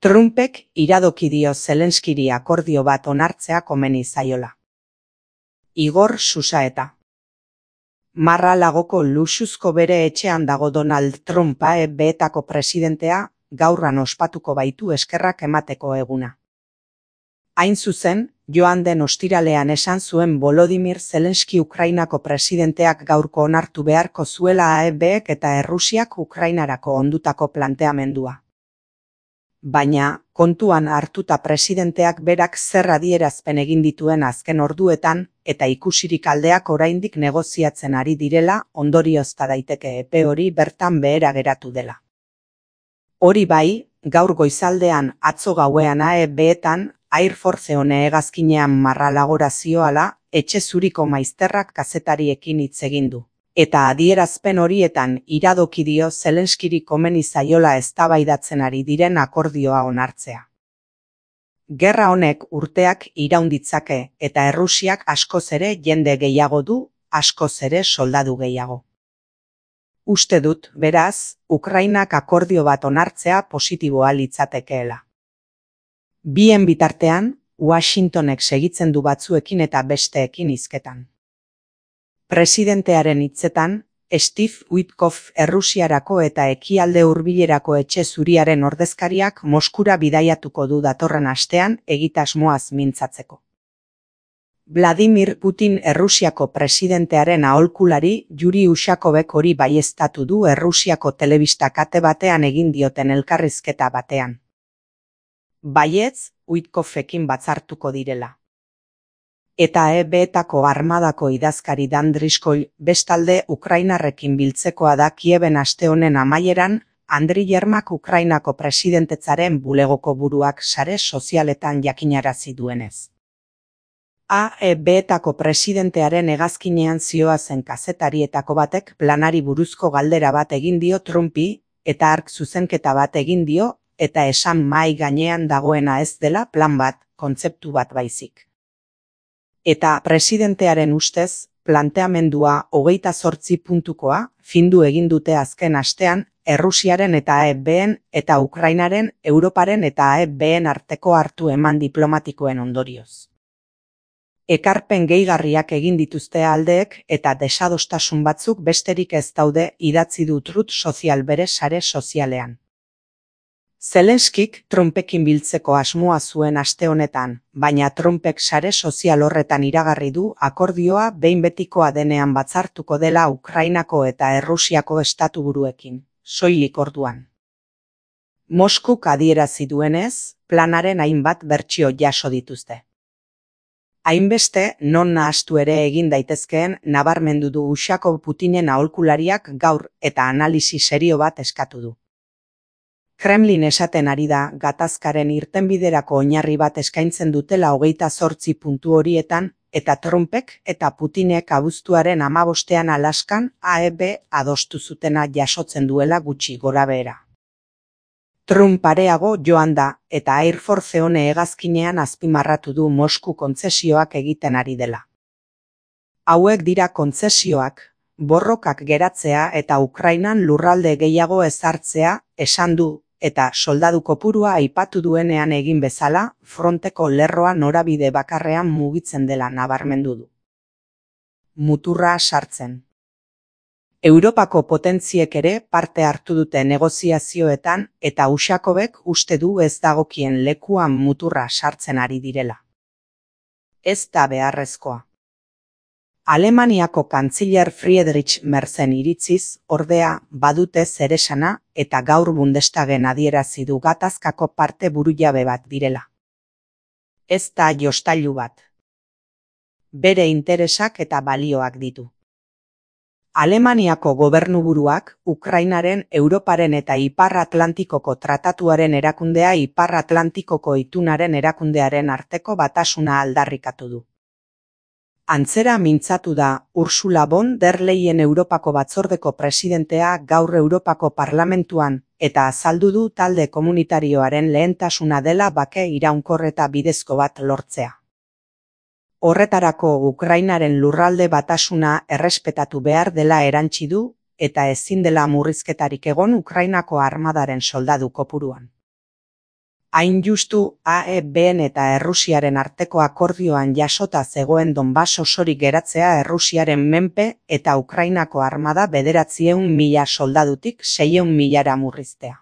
Trumpek iradoki dio Zelenskiri akordio bat onartzea komeni zaiola. Igor Susaeta. Mar-a-Lagoko luxuzko bere etxean dago Donald Trump AEB-etako presidentea, gaurran ospatuko baitu eskerrak emateko eguna. Hain zuzen, joan den ostiralean esan zuen Volodymyr Zelenski Ukrainako presidenteak gaurko onartu beharko zuela AEB-ek eta Errusiak Ukrainarako ondutako planteamendua. Baina, kontuan hartuta presidenteak berak zer adierazpen egin dituen azken orduetan, eta ikusirik aldeak oraindik negoziatzen ari direla, ondoriozta daiteke epe hori bertan behera geratu dela. Hori bai, gaur goizaldean atzo gauean AEB-etan, Air Force One hegazkinean Mar-a-Lagora zioala, etxe zuriko maizterrak kazetariekin hitz egin du. Eta adierazpen horietan iradoki dio Zelenskiri komeni zaiola eztabaidatzen ari diren akordioa onartzea. Gerra honek urteak iraun ditzake eta Errusiak askoz ere jende gehiago du, askoz ere soldadu gehiago. Uste dut, beraz, Ukrainak akordio bat onartzea positiboa litzatekeela. Bien bitartean, Washingtonek segitzen du batzuekin eta besteekin hizketan. Presidentearen hitzetan, Steve Witkoff Errusiarako eta Ekialde Hurbilerako etxe zuriaren ordezkariak Moskura bidaiatuko du datorren astean egitasmoaz mintzatzeko. Vladimir Putin Errusiako presidentearen aholkulari Yuri Ushakovek hori baieztatu du Errusiako telebista kate batean egin dioten elkarrizketa batean. Baietz, Witkoffekin batzartuko direla. Eta AEB-etako armadako idazkari Dan Driscoll bestalde Ukrainarrekin biltzekoa da Kieben aste honen amaieran, Andriy Yermak Ukrainako presidentetzaren bulegoko buruak sare sozialetan jakinarazi duenez. AEB-etako presidentearen hegazkinean zihoazen kazetarietako batek planari buruzko galdera bat egin dio Trumpi, eta hark zuzenketa bat egin dio, eta esan mahai gainean dagoena ez dela plan bat, kontzeptu bat baizik. Eta presidentearen ustez, planteamendua 28 puntukoa, findu egin dute azken astean, Errusiaren eta AEB-en eta Ukrainaren, Europaren eta AEB-en arteko hartu eman diplomatikoen ondorioz. Ekarpen gehigarriak egin dituzte aldeek eta desadostasun batzuk besterik ez daude idatzi du Truth Social bere sare sozialean. Zelenskik Trumpekin biltzeko asmoa zuen aste honetan, baina Trumpek sare sozial horretan iragarri du akordioa behin betikoa denean batzartuko dela Ukrainako eta Errusiako estatuburuekin, soilik orduan. Moskuk adierazi duenez, planaren hainbat bertsio jaso dituzte. Hainbeste non nahastu ere egin daitezkeen nabarmendu du Ushakov Putinen aholkulariak gaur eta analisi serio bat eskatu du. Kremlin esaten ari da gatazkaren irtenbiderako oinarri bat eskaintzen dutela 28 puntu horietan, eta Trumpek eta Putinek abuztuaren 15ean Alaskan AEB adostu zutena jasotzen duela gutxi gorabehera. Trump areago joan da eta Air Force One hegazkinean azpimarratu du Mosku kontzesioak egiten ari dela. Hauek dira kontzesioak, borrokak geratzea eta Ukrainan lurralde gehiago ezartzea, esan du, eta soldadu kopurua aipatu duenean egin bezala, fronteko lerroa norabide bakarrean mugitzen dela nabarmendu du. Muturra sartzen. Europako potentziek ere parte hartu dute negoziazioetan eta Ushakovek uste du ez dagokien lekuan muturra sartzen ari direla. Ez da beharrezkoa. Alemaniako kantziler Friedrich Merzen iritziz, ordea, badute zeresana eta gaur Bundestagen adierazi du gatazkako parte burujabe bat direla. Ez da jostailu bat. Bere interesak eta balioak ditu. Alemaniako gobernuburuak, Ukrainaren, Europaren eta Ipar Atlantikoko tratatuaren erakundea Ipar Atlantikoko itunaren erakundearen arteko batasuna aldarrikatu du. Antzera mintzatu da Ursula von der Leyen Europako batzordeko presidentea gaur Europako Parlamentuan eta azaldu du talde komunitarioaren lehentasuna dela bake iraunkor eta bidezko bat lortzea. Horretarako Ukrainaren lurralde batasuna errespetatu behar dela erantsi du eta ezin dela murrizketarik egon Ukrainako armadaren soldadu kopuruan. Hain justu AEBn eta Errusiaren arteko akordioan jasota zegoen Donbas osorik geratzea Errusiaren menpe eta Ukrainako armada 900.000 soldadutik 600.000ra murriztea.